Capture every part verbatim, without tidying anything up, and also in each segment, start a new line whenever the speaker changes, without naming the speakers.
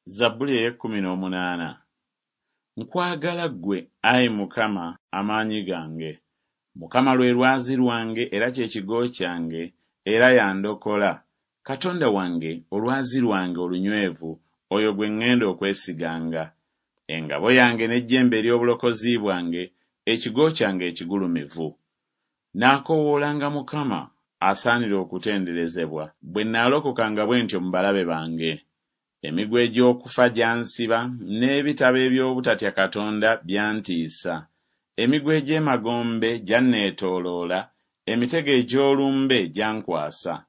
Zabbuli ey'ekkumi n'omunaana. Nkwagala ggwe, ayi Mukama, amaanyi gange. Mukama lwe lwazi lwange era kye kigo kyange, era y'andokola. Katonda wange, olwazi lwange olunywevu, oyo gwe ŋŋenda okwesiganga. Engabo yange n'ejjembe ery'obulokozi bwange, ekigo kyange ekigulumivu. Naakoowoolanga Mukama asaanira okutenderezebwa, bwe naalokokanga bwe ntyo mu balabe bange. Emiguwa egy'okufa gyansiba, n'ebitabo eby'obutatya Katonda byantiisa. Emiguwa egy'emagombe gyanneetooloola, emitego egy'olumbe gyankwasa.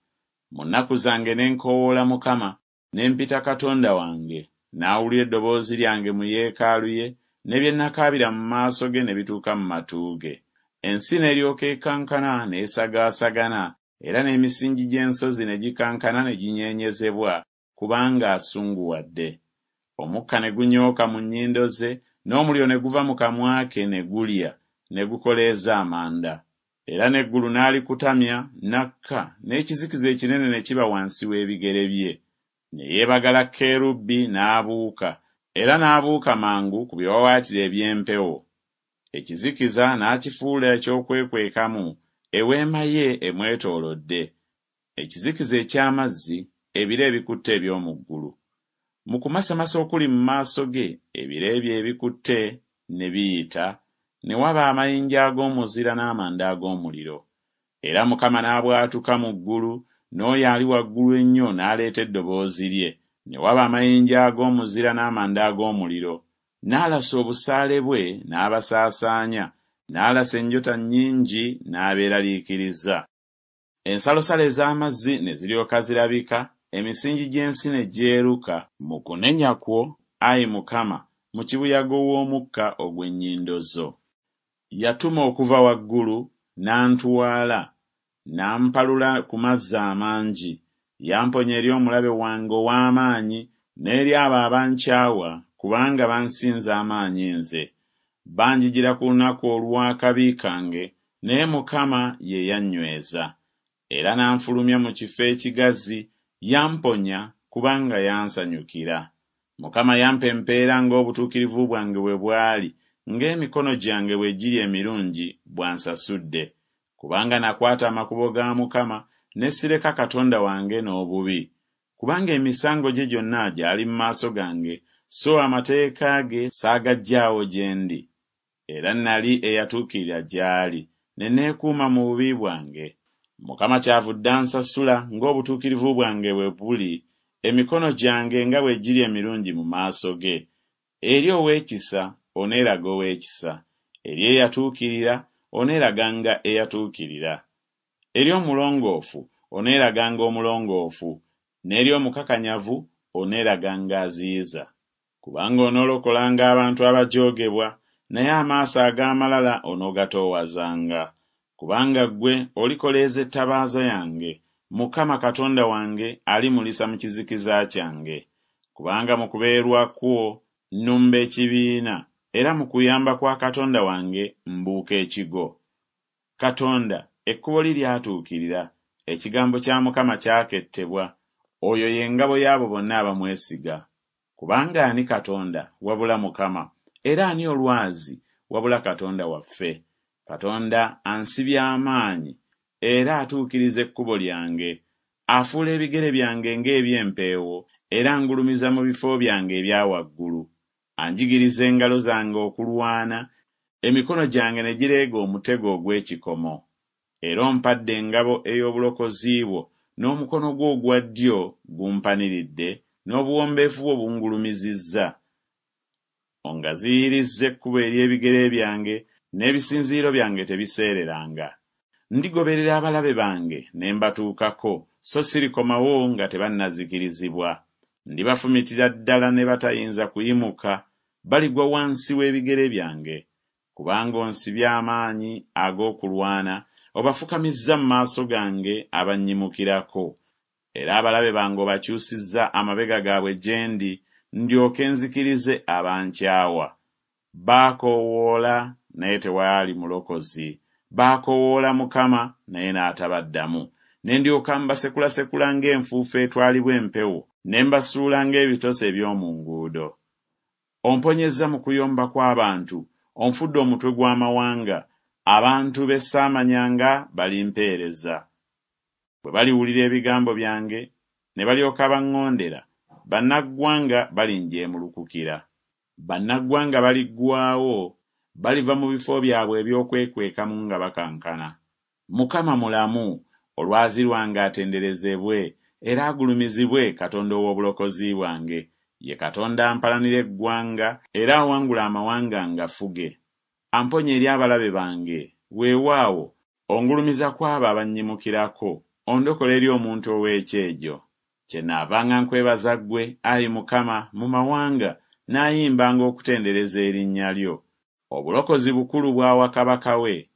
Mu nnaku zange ne nkoowoola Mukama, ne mpita Katonda wange. N'awulira eddoboozi lyange mu yeekaalu ye, ne bye nakaabira mu maaso ge ne bituuka mu matu ge. Ensi n'eryoka ekankana n'esagaasagana, era n'emisingi gy'ensozi ne gikankana ne ginyeenyezebwa, kubanga asunguwadde. Omukka ne gunyooka mu nnyindo ze, n'omuliro ne guva mu kamwa ke ne gulya, ne gukoleeza amanda. Era n'eggulu n'alikutamya, n'akka, n'ekizikiza ekinene ne kiba wansi w'ebigere bye. Ne yeebagala kerubi n'abuuka, era n'abuuka mangu ku biwaawaatiro eby'empewo. Ekizikiza n'akifuula eky'okwekwekamu, eweema ye emwetoolodde. Ekizikiza eky'amazzi, ebire ebikutte eby'omu ggulu. Mu kumasamasa okuli mu maaso ge, ebire bye ebikutte ne biyita, ne waba amayinja ag'omuzira n'amanda ag'omuliro. Era Mukama n'abwatuka mu ggulu, n'oyo ali waggulu ennyo n'aleeta eddoboozi lye, ne waba amayinja ag'omuzira n'amanda ag'omuliro. N'alasa obusaale bwe n'abasaasaanya, n'alasa enjota nnyingi n'abeeraliikiriza. Ensalosalo ez'amazzi ne ziryoka zirabika, emisingi gy'ensi ne gyeruka mu kunenya kwo, ayi Mukama, mu kibuyaga ow'omukka ogw'ennyindo zo. Yatuma okuva waggulu, n'antwala, n'ampalula ku mazzi amangi. Yamponya eri omulabe wange ow'amaanyi n'eri abo abankyawa, kubanga bansinza amaanyi nze. Banjijira ku lunaku olw'akabi kange, naye Mukama ye yannyweza. Era n'anfulumya mu kifo ekigazi, yamponya kubanga yansanyukira. Mukama yampa empeera ng'obutuukirivu bwange bwe bwali, ng'emikono gyange bwe giri emirungi bw'ansasudde. Kubanga nakwata amakubo ga Mukama, ne sireka Katonda wange n'obubi. Kubanga emisango gye gyonna gyali mu maaso gange, so amateeka ge saagaggyaawo gye ndi. Era nali eyatuukirira gy'ali, ne neekuuma mu bubi bwange. Mukama kyavudde ansasula ng'obutuukirivu bwange bwe buli, emikono gyange nga bwe giri emirungi mu maaso ge. Eri ow'ekisa oneeraga ow'ekisa, eri eyatuukirira oneeraganga eyatuukirira. Eri omulongoofu oneeraganga omulongoofu, n'eri omukakanyavu oneeraganga aziyiza. Kubanga onoolokolanga abantu abajoogebwa, naye amaaso ag'amalala onoogatoowazanga. Kubanga ggwe olikoleeza ettabaaza yange, Mukama Katonda wange alimulisa mu kizikiza kyange. Kubanga mu kubeerwa kwo nnumba ekibiina, era mu kuyamba kwa Katonda wange mbuuka ekigo. Katonda ekkubo lye lyatuukirira, ekigambo kya Mukama kyakettebwa, oyo ye ngabo y'abo bonna abamwesiga. Kubanga ani Katonda wabula Mukama, era ani olwazi wabula Katonda waffe? Katonda ansibye amaanyi, era atuukiriza ekkubo lyange. Afuula ebigere byange ng'eby'empeewo, era angulumiza mu bifo byange ebya waggulu. Anjigiriza engalo zange okulwana, emikono gyange ne gireega omutego ogw'ekikomo. Era ompadde engabo ey'obulokozi bwo, n'omukono gwo ogwa ddyo gumpaniridde, n'obuwombeefu bwo bungulumizizza. Ongaziyirizza ekkubo ery'ebigere byange, n'ebisinziiro byange tebiseereranga. Ndigoberera abalabe bange ne mbatuukako, so sirikomawo nga tebannazikirizibwa. Ndibafumitira ddala ne batayinza kuyimuka, baligwa wansi w'ebigere byange. Kubanga onsibye amaanyi ag'okulwana, obafukamizza mu maaso gange abannyimukirako. Era abalabe bange obakyusizza amabega gaabwe gye ndi, ndyoke nzikirize abankyawa. Baakoowoola naye tewaali mulokozi, baakoowoola Mukama naye n'atabaddamu. Ne ndyoka mbasekulasekula ng'enfuufu etwalibwa empewo, Ne mbasuula ng'ebitosi eby'omu nguudo. Omponyezza mu kuyomba kw'abantu, onfudde omutwe gw'amawanga, abantu be saamanyanga balimpeereza. Bwe baliwulira ebigambo byange, ne balyoka baŋŋondera, bannaggwanga balinjeemulukukira. Bannaggwanga baliggwaawo, baliva mu bifo byabwe eby'okwekwekamu nga bakankana. Mukama mulamu, olwazi lwange atenderezebwe, era agulumizibwe Katonda ow'obulokozi bwange. Ye Katonda ampalanira eggwanga, era awangula amawanga ngafuge. Amponya eri abalabe bange, weewaawo, ongulumiza ku abo abannyimukirako, ondokola eri omuntu ow'ekyejo. Kyennaavanga nkwebaza ggwe, ayi Mukama, mu mawanga, naayimbanga okutendereza erinnya lyo. Obulokozi bukulu bw'awa kabaka we,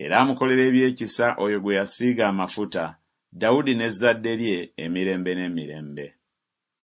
era amukolera eby'ekisa oyo gwe yasiiga amafuta, Dawudi n'ezzadde lye emirembe n'emirembe.